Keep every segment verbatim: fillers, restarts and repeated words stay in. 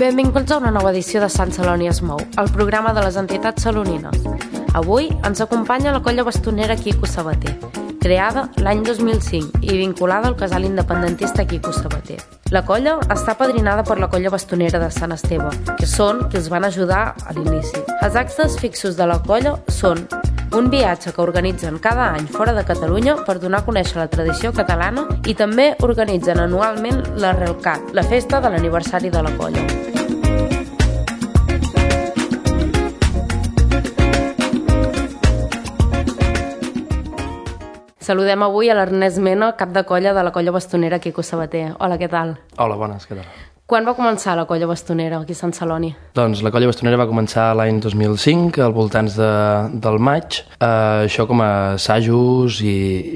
Benvinguts a una nova edició de Sant Celoni es mou, el programa de les entitats salonines. Avui ens acompanya la colla bastonera Quico Sabater, creada l'any dos mil cinc i vinculada al casal independentista Quico Sabater. La colla està padrinada per la colla bastonera de Sant Esteve, que són qui els van ajudar a l'inici. Els actes fixos de la colla són un viatge que organitzen cada any fora de Catalunya per donar a conèixer la tradició catalana i també organitzen anualment la Relcat, la festa de l'aniversari de la colla. Saludem avui a l'Ernest Mena, cap de colla de la colla bastonera Quico Sabater. Hola, què tal? Hola, bones, què tal? Quan va començar la colla bastonera aquí a Sant Celoni? Doncs la colla bastonera va començar l'any dos mil cinc, al voltants de, del maig, eh, això com a assajos i,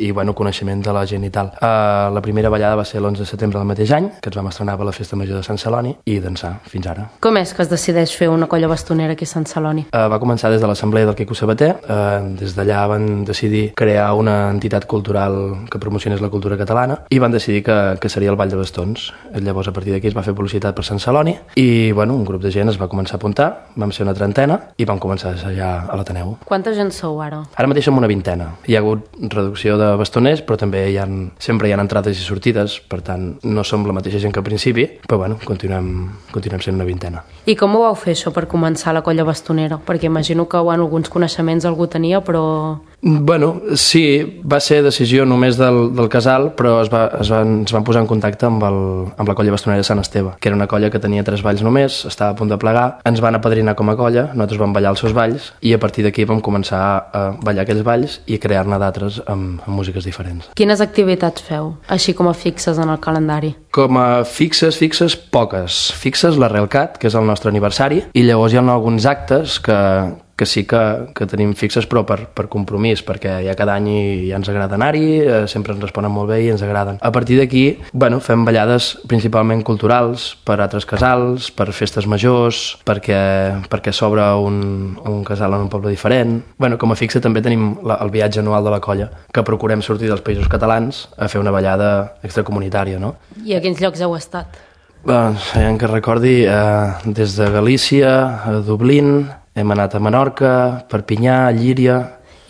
i bueno, coneixement de la gent i tal. Eh, la primera ballada va ser l'onze de setembre del mateix any, que ens vam estrenar per la Festa Major de Sant Celoni, i d'ençà fins ara. Com és que es decideix fer una colla bastonera aquí a Sant Celoni? Eh, va començar des de l'Assemblea del Quico Sabater, eh, des d'allà van decidir crear una entitat cultural que promocionés la cultura catalana i van decidir que, que seria el Ball de Bastons. Llavors, a partir d'aquí es va fer publicitat per Sant Celoni i bueno, un grup de gent es va començar a apuntar, vam ser una trentena i vam començar a assajar a l'Ateneu. Quanta gent sou ara? Ara mateix som una vintena. Hi ha hagut reducció de bastoners, però també hi ha, sempre hi ha entrades i sortides, per tant no som la mateixa gent que al principi, però bueno, continuem, continuem sent una vintena. I com ho vau fer això per començar la colla bastonera? Perquè imagino que bueno, alguns coneixements algú tenia, però... Bueno, sí, va ser decisió només del, del casal, però es, va, es, van, es van posar en contacte amb, el, amb la colla bastonera de Sant Esteve, que era una colla que tenia tres balls només, estava a punt de plegar, ens van apadrinar com a colla, nosaltres vam ballar els seus balls i a partir d'aquí vam començar a ballar aquells balls i crear-ne d'altres amb, amb músiques diferents. Quines activitats feu, així com a fixes en el calendari? Com a fixes, fixes, poques. Fixes la Relcat, que és el nostre aniversari, i llavors hi ha alguns actes que... que sí que, que tenim fixes però per, per compromís, perquè ja cada any i ja ens agrada anar-hi, eh, sempre ens responen molt bé i ens agraden. A partir d'aquí, bueno, fem ballades principalment culturals per altres casals, per festes majors, perquè, perquè s'obre un, un casal en un poble diferent. Bueno, com a fixa també tenim la, el viatge anual de la colla, que procurem sortir dels països catalans a fer una ballada extracomunitària, no? I a quins llocs heu estat? Doncs, ja que recordi, eh, des de Galícia, a Dublín, hem anat a Menorca, Perpinyà, Llíria...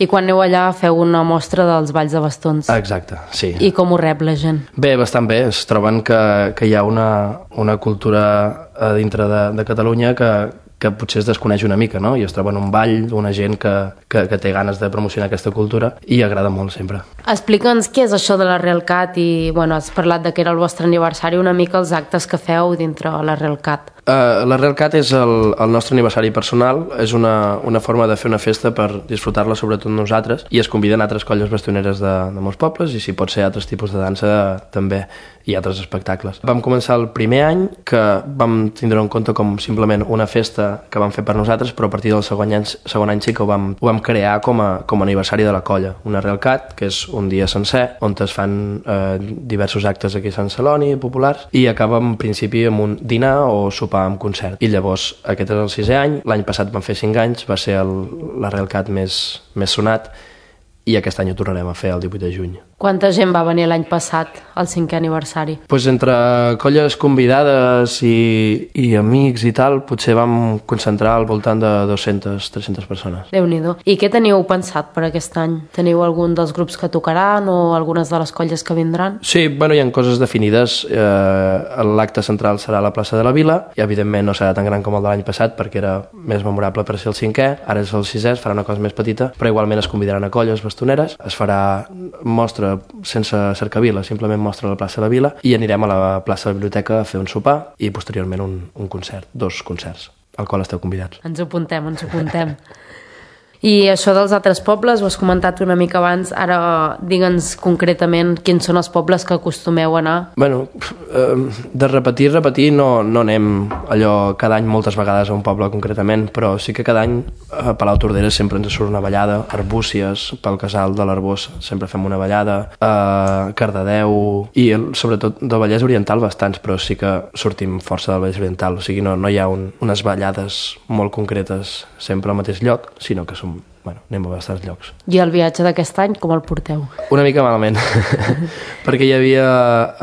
I quan aneu allà feu una mostra dels balls de bastons? Exacte, sí. I com ho rep la gent? Bé, bastant bé. Es troben que, que hi ha una, una cultura a dintre de, de Catalunya que, que potser es desconeix una mica, no? I es troben un ball, una gent que, que, que té ganes de promocionar aquesta cultura i agrada molt sempre. Explica'ns què és això de la Relcat i, bueno, has parlat de que era el vostre aniversari, una mica els actes que feu dintre la Relcat. Uh, la Relcat és el, el nostre aniversari personal, és una, una forma de fer una festa per disfrutar-la sobretot nosaltres i es conviden altres colles bastoneres de, de molts pobles i si pot ser altres tipus de dansa també i altres espectacles. Vam començar el primer any que vam tindre en compte com simplement una festa que vam fer per nosaltres, però a partir del segon any, segon any sí que ho vam, ho vam crear com a, com a aniversari de la colla. Una Relcat, que és un dia sencer on es fan eh, diversos actes aquí a Sant Celoni, populars, i acaba en principi amb un dinar o sopar amb concert. I llavors aquest és el sisè any, l'any passat vam fer cinc anys, va ser el, la Relcat més, més sonat i aquest any ho tornarem a fer el divuit de juny. Quanta gent va venir l'any passat al cinquè aniversari? Pues entre colles convidades i, i amics i tal, potser vam concentrar al voltant de dues-centes a tres-centes persones. Déu-n'hi-do. I què teniu pensat per aquest any? Teniu algun dels grups que tocaran o algunes de les colles que vindran? Sí, bueno, hi ha coses definides. Eh, l'acte central serà a la plaça de la Vila i evidentment no serà tan gran com el de l'any passat perquè era més memorable per ser el cinquè, ara és el sisè, es farà una cosa més petita, però igualment es convidaran a colles bastoneres, es farà mostra sense cercavila, simplement mostra a la plaça de la Vila i anirem a la plaça de la Biblioteca a fer un sopar i posteriorment un, un concert, dos concerts, al qual esteu convidats. Ens ho apuntem, ens ho apuntem. I això dels altres pobles, ho has comentat una mica abans, ara digue'ns concretament quins són els pobles que acostumeu a anar. Bueno, de repetir, repetir, no, no anem allò cada any moltes vegades a un poble concretament, però sí que cada any a Palau Tordera sempre ens surt una ballada, Arbúcies, pel casal de l'Arbós sempre fem una ballada, a Cardedeu i sobretot del Vallès Oriental bastants, però sí que sortim força del Vallès Oriental, o sigui, no, no hi ha un, unes ballades molt concretes sempre al mateix lloc, sinó que som bueno, anem a bastants llocs. I el viatge d'aquest any com el porteu? Una mica malament, perquè hi havia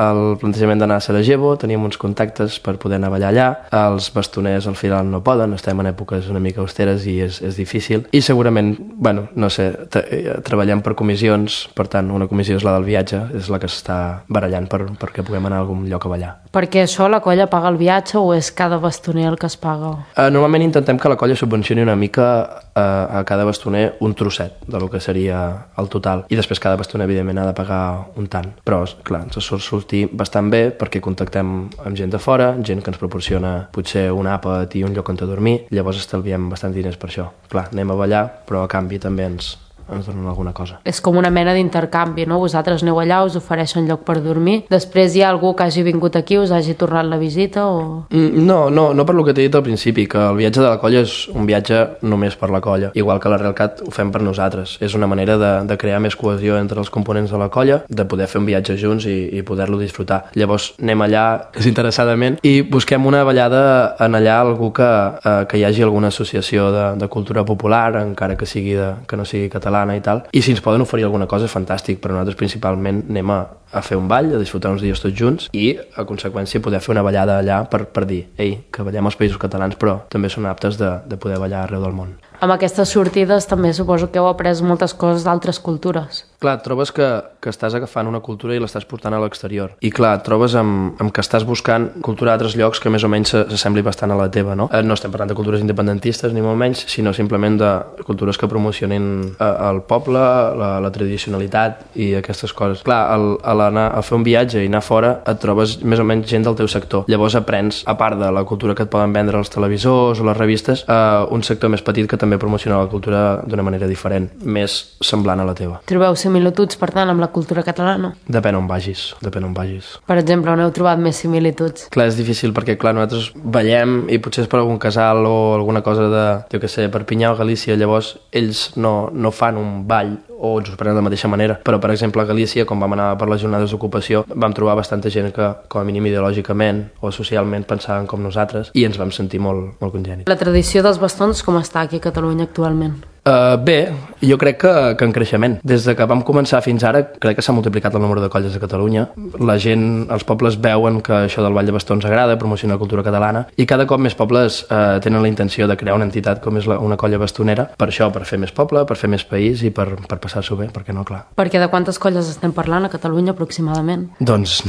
el plantejament d'anar a Sarajevo, teníem uns contactes per poder anar a ballar allà, els bastoners al final no poden, estem en èpoques una mica austeres i és, és difícil, i segurament, bueno, no sé, treballem per comissions, per tant, una comissió és la del viatge, és la que s'està barallant per, perquè puguem anar a algun lloc a ballar. Perquè això la colla paga el viatge o és cada bastoner el que es paga? Uh, normalment intentem que la colla subvencioni una mica uh, a cada bastoner un trosset del que seria el total, i després cada bastoner evidentment ha de pagar un tant, però clar, ens surt sortir bastant bé perquè contactem amb gent de fora, gent que ens proporciona potser un àpat i un lloc on dormir, llavors estalviem bastant diners per això. Clar, anem a ballar, però a canvi també ens ens donen alguna cosa. És com una mena d'intercanvi, no? Vosaltres aneu allà, us ofereixen lloc per dormir, després hi ha algú que hagi vingut aquí, us hagi tornat la visita o... Mm, no, no, no per lo que t'he dit al principi, que el viatge de la colla és un viatge només per la colla, igual que la Realcat ho fem per nosaltres. És una manera de, de crear més cohesió entre els components de la colla, de poder fer un viatge junts i, i poder-lo disfrutar. Llavors anem allà desinteressadament i busquem una ballada en allà algú que, eh, que hi hagi alguna associació de, de cultura popular, encara que sigui de, que no sigui català i tal, i si ens poden oferir alguna cosa fantàstic, però nosaltres principalment anem a, a fer un ball, a disfrutar uns dies tots junts i a conseqüència poder fer una ballada allà per, per dir, ei, que ballem als països catalans però també són aptes de, de poder ballar arreu del món. Amb aquestes sortides també suposo que heu après moltes coses d'altres cultures. Clar, et trobes que, que estàs agafant una cultura i l'estàs portant a l'exterior. I clar, et trobes amb, amb que estàs buscant cultura d'altres llocs que més o menys s'assembli bastant a la teva, no? No estem parlant de cultures independentistes ni molt menys, sinó simplement de cultures que promocionin el poble, la, la tradicionalitat i aquestes coses. Clar, al, a, anar, a fer un viatge i anar fora et trobes més o menys gent del teu sector. Llavors aprens, a part de la cultura que et poden vendre els televisors o les revistes, eh, un sector més petit que també promociona la cultura d'una manera diferent, més semblant a la teva. Trobeu similituds, per tant, amb la cultura catalana? Depèn on vagis, depèn on vagis. Per exemple, on heu trobat més similituds? Clar, és difícil perquè, clar, nosaltres ballem i potser és per algun casal o alguna cosa de, jo què sé, Perpinyà o Galícia, llavors ells no, no fan un ball o ens ho prenen de la mateixa manera, però per exemple a Galícia, quan vam anar per les jornades d'ocupació, vam trobar bastanta gent que, com a mínim ideològicament o socialment pensaven com nosaltres i ens vam sentir molt, molt congènits. La tradició dels bastons com està aquí a Catalunya actualment? Uh, bé, jo crec que, que en creixement. Des de que vam començar fins ara, crec que s'ha multiplicat el número de colles a Catalunya. La gent, els pobles veuen que això del ball de bastons agrada, promociona la cultura catalana, i cada cop més pobles uh, tenen la intenció de crear una entitat com és la, una colla bastonera, per això, per fer més poble, per fer més país i per, per passar-s'ho bé, perquè no, clar. Perquè de quantes colles estem parlant a Catalunya aproximadament? Doncs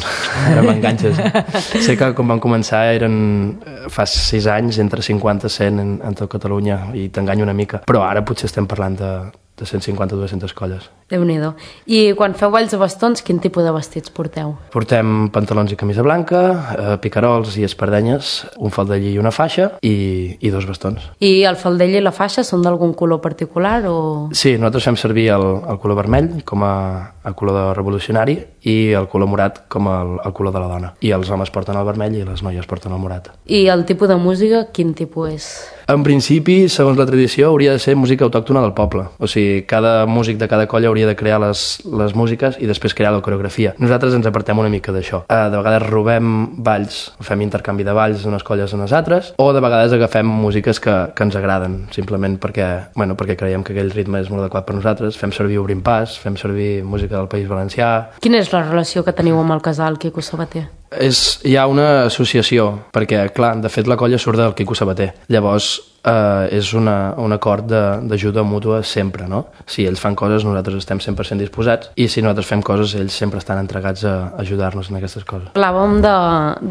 ara m'enganxes. Sé que quan vam començar eren fa sis anys, entre cinquanta i cent en, en tot Catalunya, i t'enganyo una mica, però ara potser estem parlant de, de cent cinquanta a dues-centes colles. Déu-n'hi-do. I quan feu balls de bastons, quin tipus de vestits porteu? Portem pantalons i camisa blanca, eh, picarols i espardenyes, un faldell i una faixa i, i dos bastons. I el faldell i la faixa són d'algun color particular o...? Sí, nosaltres fem servir el, el color vermell com a, a color de revolucionari i el color morat com el, el color de la dona. I els homes porten el vermell i les noies porten el morat. I el tipus de música, quin tipus és? En principi, segons la tradició, hauria de ser música autòctona del poble. O sigui, cada músic de cada colla hauria de crear les, les músiques i després crear la coreografia. Nosaltres ens apartem una mica d'això. Eh, de vegades robem balls, fem intercanvi de balls d'unes colles a les altres, o de vegades agafem músiques que, que ens agraden, simplement perquè, bueno, perquè creiem que aquell ritme és molt adequat per nosaltres. Fem servir Obrim Pas, fem servir música del País Valencià. Quina és la relació que teniu amb el casal Quico Sabater? És, hi ha una associació, perquè, clar, de fet la colla surt del Quico Sabater. Llavors, eh, és una, un acord d'ajuda mútua sempre, no? Si ells fan coses, nosaltres estem cent per cent disposats, i si nosaltres fem coses, ells sempre estan entregats a ajudar-nos en aquestes coses. Parlàvem de,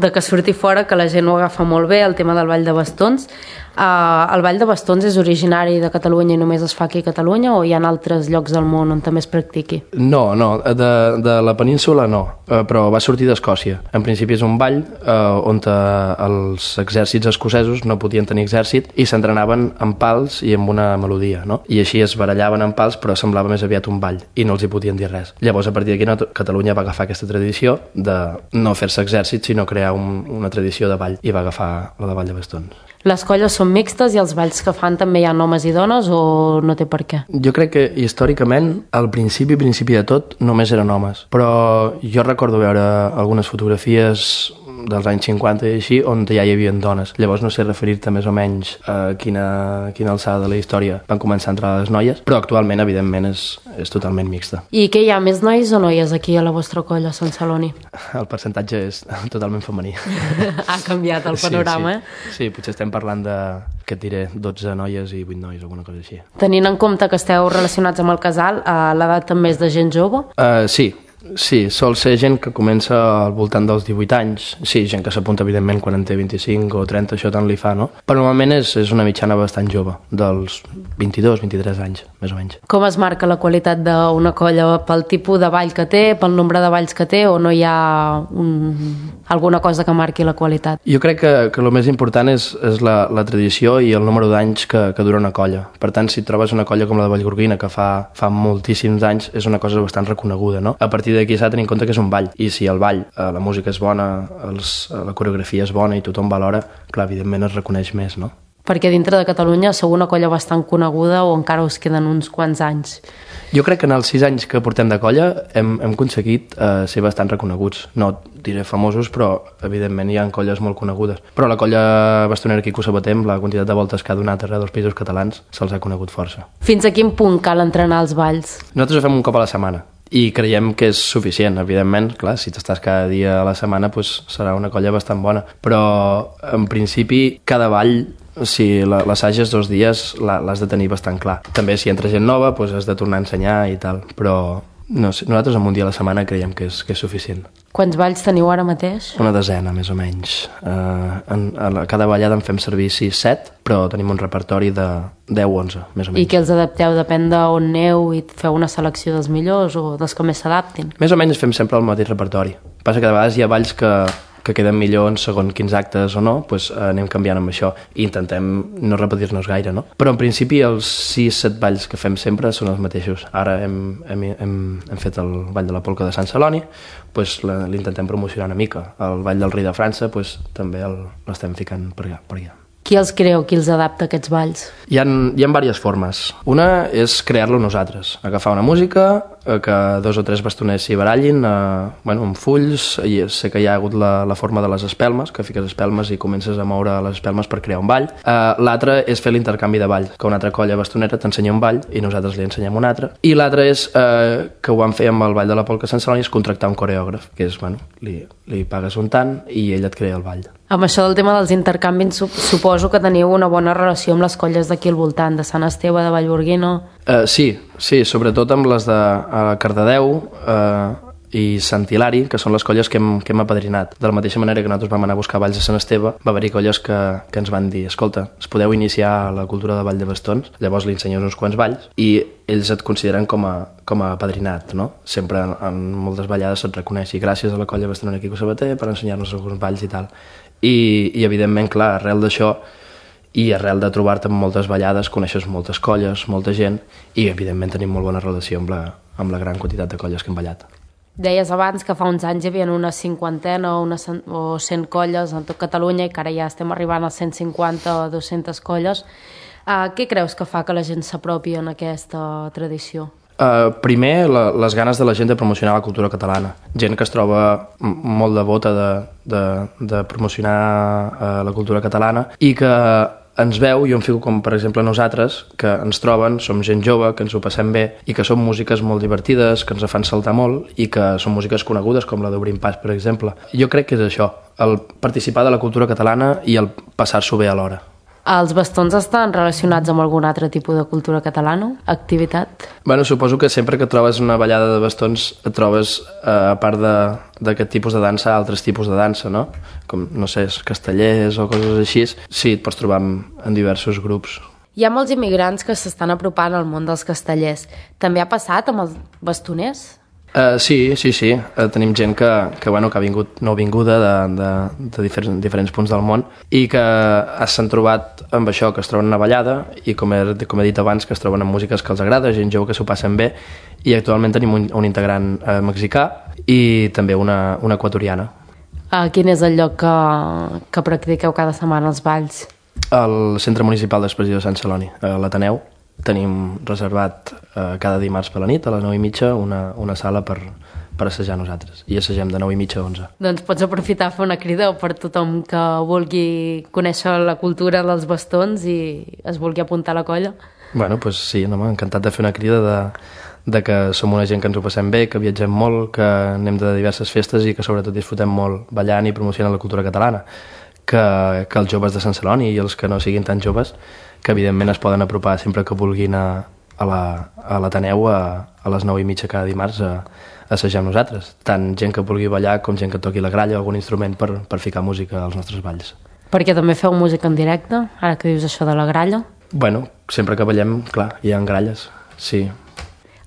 de que surti fora, que la gent ho agafa molt bé, el tema del ball de bastons. Uh, el ball de bastons és originari de Catalunya i només es fa aquí a Catalunya o hi ha altres llocs del món on també es practiqui? No, no, de, de la península no, uh, però va sortir d'Escòcia. En principi és un ball uh, on uh, els exèrcits escocesos no podien tenir exèrcit i s'entrenaven amb pals i amb una melodia, no? I així es barallaven amb pals, però semblava més aviat un ball i no els hi podien dir res. Llavors, a partir d'aquí, no, Catalunya va agafar aquesta tradició de no fer-se exèrcit, sinó crear un, una tradició de ball, i va agafar la de ball de bastons. Les colles són mixtes i els balls que fan també hi ha homes i dones o no té per què? Jo crec que històricament, al principi, principi de tot, només eren homes. Però jo recordo veure algunes fotografies dels anys cinquanta i així, on ja hi havia dones. Llavors no sé referir-te més o menys a quina, quina alçada de la història van començar a entrar les noies, però actualment, evidentment, és, és totalment mixta. I què hi ha, més nois o noies aquí a la vostra colla, Sant Celoni? El percentatge és totalment femení. Ha canviat el panorama, sí, sí. Sí, potser estem parlant de, què et diré, dotze noies i vuit nois, alguna cosa així. Tenint en compte que esteu relacionats amb el casal, l'edat també és de gent jove? Uh, sí, sí, sol ser gent que comença al voltant dels divuit anys, sí, gent que s'apunta evidentment quan en té vint-i-cinc o trenta, això tant li fa, no? Però normalment és, és una mitjana bastant jove, dels vint-i-dos, vint-i-tres anys, més o menys. Com es marca la qualitat d'una colla? Pel tipus de ball que té, pel nombre de balls que té, o no hi ha un... alguna cosa que marqui la qualitat? Jo crec que, que el més important és, és la, la tradició i el número d'anys que, que dura una colla. Per tant, si trobes una colla com la de Vallgorguina, que fa, fa moltíssims anys, és una cosa bastant reconeguda, no? A partir d'aquí s'ha de tenir en compte que és un ball, i si el ball, eh, la música és bona, els, la coreografia és bona i tothom valora, clar, evidentment es reconeix més, no? Perquè dintre de Catalunya sou una colla bastant coneguda o encara us queden uns quants anys? Jo crec que en els sis anys que portem de colla hem, hem aconseguit eh, ser bastant reconeguts. No diré famosos, però evidentment hi ha colles molt conegudes. Però la colla bastonera aquí que ho sabatem, la quantitat de voltes que ha donat arreu dels països catalans, se'ls ha conegut força. Fins a quin punt cal entrenar els balls? Nosaltres ho fem un cop a la setmana i creiem que és suficient, evidentment. Clar, si t'estàs cada dia a la setmana, doncs serà una colla bastant bona. Però, en principi, cada ball, si l'assages dos dies, l'has de tenir bastant clar. També, si entra gent nova, doncs has de tornar a ensenyar i tal. Però no sé, nosaltres amb un dia a la setmana creiem que és, que és suficient. Quants balls teniu ara mateix? Una desena, més o menys. Uh, en, a cada ballada en fem servir sis set, però tenim un repertori de deu o onze, més o menys. I que els adapteu? Depèn d'on aneu i feu una selecció dels millors o dels que més s'adaptin? Més o menys fem sempre el mateix repertori. Passa que de vegades hi ha balls que, que queden millor en segons quins actes o no, doncs anem canviant amb això i intentem no repetir-nos gaire, no? Però en principi els sis set balls que fem sempre són els mateixos. Ara hem, hem, hem, hem fet el ball de la polca de Sant Celoni, doncs l'intentem promocionar una mica. El ball del rei de França doncs, també l'estem ficant per allà, per allà. Qui els creu, qui els adapta, aquests balls? Hi ha, hi ha diverses formes. Una és crear-lo nosaltres, agafar una música, que dos o tres bastoners s'hi barallin, eh, bueno, amb fulls, i sé que hi ha hagut la, la forma de les espelmes, que fiques espelmes i comences a moure les espelmes per crear un ball. Eh, L'altre és fer l'intercanvi de ball, que una altra colla bastonera t'ensenya un ball i nosaltres li ensenyem un altre. I l'altre és, eh, que ho vam fer amb el ball de la polca Sant Celoni, és contractar un coreògraf, que és, bueno, li, li pagues un tant i ell et crea el ball. Amb això del tema dels intercanvis, suposo que teniu una bona relació amb les colles d'aquí al voltant, de Sant Esteve, de Vallgorguina... Uh, sí, sí, sobretot amb les de uh, Cardedeu uh, i Sant Hilari, que són les colles que hem, que hem apadrinat. De la mateixa manera que nosaltres vam anar a buscar balls a Sant Esteve, va haver-hi colles que, que ens van dir: escolta, es podeu iniciar la cultura de ball de bastons, llavors li ensenyes uns quants balls i ells et consideren com a, com a apadrinat, no? Sempre en, en moltes ballades se't reconeix, i gràcies a la colla bastonera Quico Sabater per ensenyar-nos alguns balls i tal. I, i evidentment, clar, arrel d'això i arrel de trobar-te amb moltes ballades coneixes moltes colles, molta gent, i evidentment tenim molt bona relació amb la, amb la gran quantitat de colles que hem ballat. Deies abans que fa uns anys hi havia una cinquantena o, una, o cent colles en tot Catalunya i que ara ja estem arribant a cent cinquanta o dues-centes colles. Uh, què creus que fa que la gent s'apropi en aquesta tradició? Uh, primer, la, les ganes de la gent de promocionar la cultura catalana. Gent que es troba molt devota de, de, de promocionar uh, la cultura catalana i que ens veu, jo em fico com per exemple nosaltres, que ens troben, som gent jove, que ens ho passem bé i que són músiques molt divertides, que ens fan saltar molt i que són músiques conegudes com la d'Obrim Pas, per exemple. Jo crec que és això, el participar de la cultura catalana i el passar-s'ho bé alhora. Els bastons estan relacionats amb algun altre tipus de cultura catalana? Activitat? Bueno, suposo que sempre que trobes una ballada de bastons et trobes, eh, a part d'aquest tipus de dansa, altres tipus de dansa, no? Com, no sé, castellers o coses així. Sí, et pots trobar en, en diversos grups. Hi ha molts immigrants que s'estan apropant al món dels castellers. També ha passat amb els bastoners? Uh, sí, sí, sí. Uh, tenim gent que, que, bueno, que ha vingut nouvinguda de, de, de diferents, diferents punts del món i que s'han trobat amb això, que es troben una ballada i, com he, com he dit abans, que es troben amb músiques que els agrada, gent jove que s'ho passen bé, i actualment tenim un, un integrant uh, mexicà i també una, una equatoriana. Uh, quin és el lloc que, que practiqueu cada setmana els balls? El Centre Municipal d'Expressió de Sant Celoni, a l'Ateneu. Tenim reservat eh, cada dimarts per la nit, a les nou i mitja, una, una sala per, per per assajar nosaltres, i assagem de nou i mitja a onze. Doncs pots aprofitar a fer una crida per tothom que vulgui conèixer la cultura dels bastons i es vulgui apuntar a la colla. Bueno, doncs sí, no, encantat de fer una crida de, de que som una gent que ens ho passem bé, que viatgem molt, que anem de diverses festes i que sobretot disfrutem molt ballant i promocionant la cultura catalana. Que, que els joves de Sant Celoni i els que no siguin tan joves, que evidentment es poden apropar sempre que vulguin a, a l'Ateneu a, a les nou i mitja cada dimarts a, a assajar amb nosaltres. Tant gent que vulgui ballar com gent que toqui la gralla o algun instrument per, per ficar música als nostres balls. Perquè també feu música en directe, ara que dius això de la gralla? Bueno, sempre que ballem, clar, hi ha gralles, sí.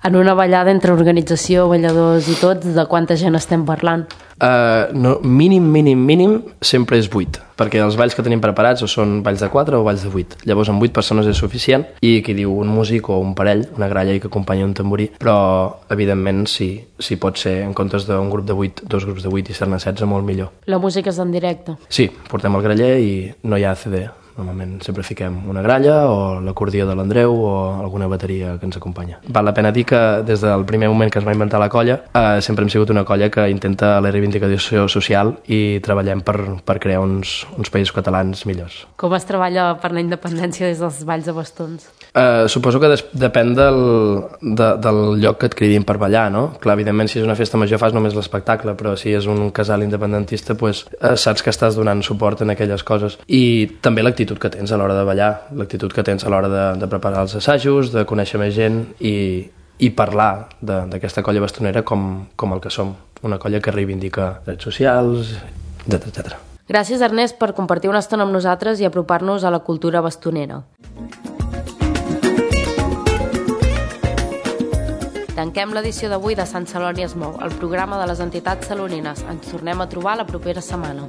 En una ballada entre organització, balladors i tots, de quanta gent estem parlant? Uh, no, mínim, mínim, mínim, sempre és vuit, perquè els balls que tenim preparats o són balls de quatre o balls de vuit. Llavors amb vuit persones és suficient i qui diu un músic o un parell, una gralla i que acompanya un tamborí, però evidentment sí, sí pot ser en comptes d'un grup de vuit, dos grups de vuit i ser-ne setze, molt millor. La música és en directe? Sí, portem el graller i no hi ha C D. Normalment sempre fiquem una gralla o l'acordió de l'Andreu o alguna bateria que ens acompanya. Val la pena dir que des del primer moment que es va inventar la colla eh, sempre hem sigut una colla que intenta la reivindicació social i treballem per, per crear uns, uns països catalans millors. Com es treballa per la independència des dels balls de bastons? Eh, suposo que des, depèn del, de, del lloc que et cridin per ballar, no? Clar, evidentment, si és una festa major fas només l'espectacle, però si és un casal independentista pues, eh, saps que estàs donant suport en aquelles coses. I també l'actitud que tens a l'hora de ballar, l'actitud que tens a l'hora de, de preparar els assajos, de conèixer més gent i, i parlar d'aquesta colla bastonera com, com el que som, una colla que reivindica drets socials, etcètera, etcètera. Gràcies, Ernest, per compartir una estona amb nosaltres i apropar-nos a la cultura bastonera. Tanquem l'edició d'avui de Sant Celoni es mou, el programa de les entitats salonines. Ens tornem a trobar la propera setmana.